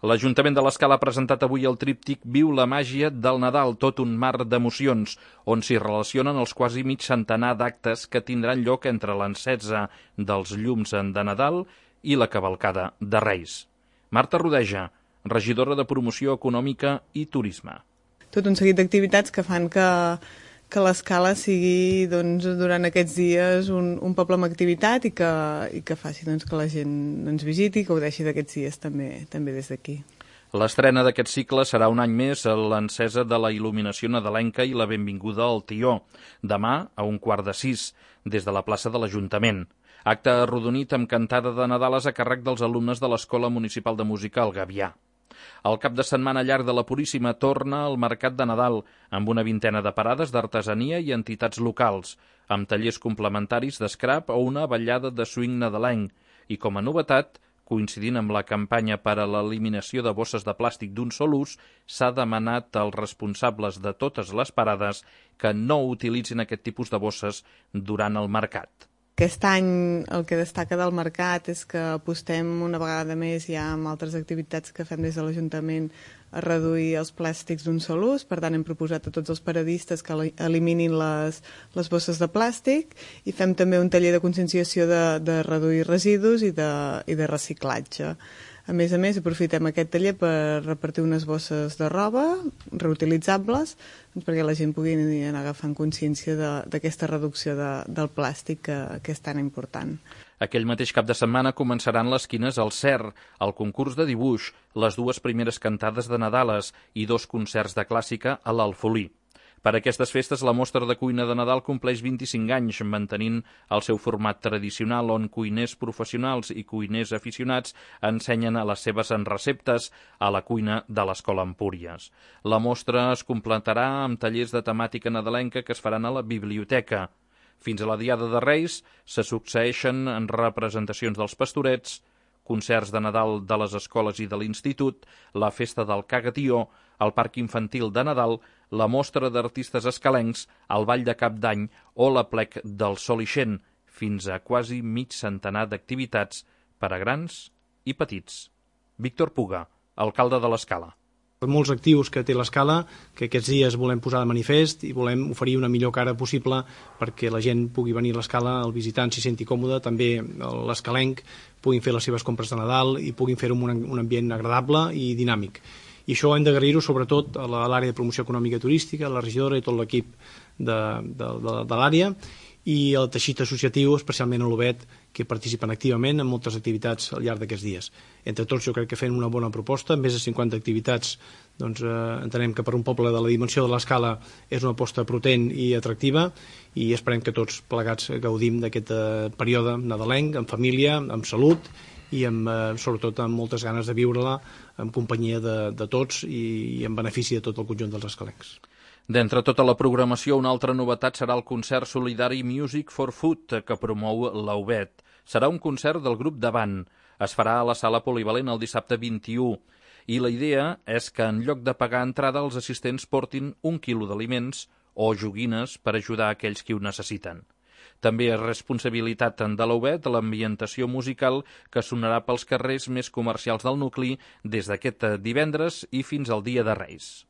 L'Ajuntament de l'Escala ha presentat avui el tríptic Viu la màgia del Nadal, tot un mar d'emocions, on s'hi relacionen els quasi mig centenar d'actes que tindran lloc entre l'encesa dels llums de Nadal i la cavalcada de Reis. Marta Rodeja, regidora de Promoció Econòmica i Turisme. Tot un seguit d'activitats que fan que l'Escala sigui durant aquests dies un poble amb activitat i que faci que la gent ens visiti i gaudeixi d'aquests dies també des d'aquí. L'estrena d'aquest cicle serà un any més l'encesa de la il·luminació nadalenca i la benvinguda al Tió, demà a 5:15, des de la plaça de l'Ajuntament. Acte arrodonit amb cantada de Nadales a càrrec dels alumnes de l'Escola Municipal de Música El Gavià. El cap de setmana llarg de la Puríssima torna al Mercat de Nadal, amb una vintena de parades d'artesania i entitats locals, amb tallers complementaris d'escrap o una ballada de swing nadalenc, i com a novetat, coincidint amb la campanya per a l'eliminació de bosses de plàstic d'un sol ús, s'ha demanat als responsables de totes les parades que no utilitzin aquest tipus de bosses durant el mercat. Aquest any el que destaca del mercat és que apostem una vegada més ja amb altres activitats que fem des de l'Ajuntament a reduir els plàstics d'un sol ús. Per tant, hem proposat a tots els paradistes que eliminin les bosses de plàstic i fem també un taller de conscienciació de reduir residus i de reciclatge. A més, aprofitem aquest taller per repartir unes bosses de roba reutilitzables perquè la gent pugui anar agafant consciència d'aquesta reducció del plàstic que és tan important. Aquell mateix cap de setmana començaran les quines al CER, el concurs de dibuix, les dues primeres cantades de Nadales i 2 concerts de clàssica a l'Alfolí. Per aquestes festes, la mostra de cuina de Nadal compleix 25 anys, mantenint el seu format tradicional on cuiners professionals i cuiners aficionats ensenyen les seves receptes a la cuina de l'Escola Empúries. La mostra es completarà amb tallers de temàtica nadalenca que es faran a la biblioteca. Fins a la Diada de Reis se succeeixen en representacions dels pastorets, concerts de Nadal de les escoles i de l'institut, la festa del Cagatió, el Parc Infantil de Nadal, la mostra d'artistes escalencs, el Ball de Cap d'Any o l'Aplec del Sol Ixent, fins a quasi mig centenar d'activitats per a grans i petits. Víctor Puga, alcalde de l'Escala. Molts actius que té l'Escala, que aquests dies volem posar de manifest i volem oferir una millor cara possible perquè la gent pugui venir a l'Escala, el visitant s'hi senti còmode, també l'escalenc puguin fer les seves compres de Nadal i puguin fer-ho en un ambient agradable i dinàmic. I això hem d'agrair-ho sobretot a l'àrea de promoció econòmica i turística, a la regidora i tot l'equip de l'àrea, i el teixit associatiu, especialment a l'Obet, que participen activament en moltes activitats al llarg d'aquests dies. Entre tots jo crec que fem una bona proposta, més de 50 activitats, entenem que per un poble de la dimensió de l'Escala és una aposta potent i atractiva i esperem que tots plegats gaudim d'aquest període nadalenc, en família, amb salut i sobretot amb moltes ganes de viure-la en companyia de tots i en benefici de tot el conjunt dels escalencs. D'entre tota la programació, una altra novetat serà el concert solidari Music for Food que promou l'Aubet. Serà un concert del grup Davant. Es farà a la sala polivalent el dissabte 21 i la idea és que en lloc de pagar entrada els assistents portin 1 quilo d'aliments o joguines per ajudar a aquells qui ho necessiten. També és responsabilitat de l'Aubet l'ambientació musical que sonarà pels carrers més comercials del nucli des d'aquest divendres i fins al dia de Reis.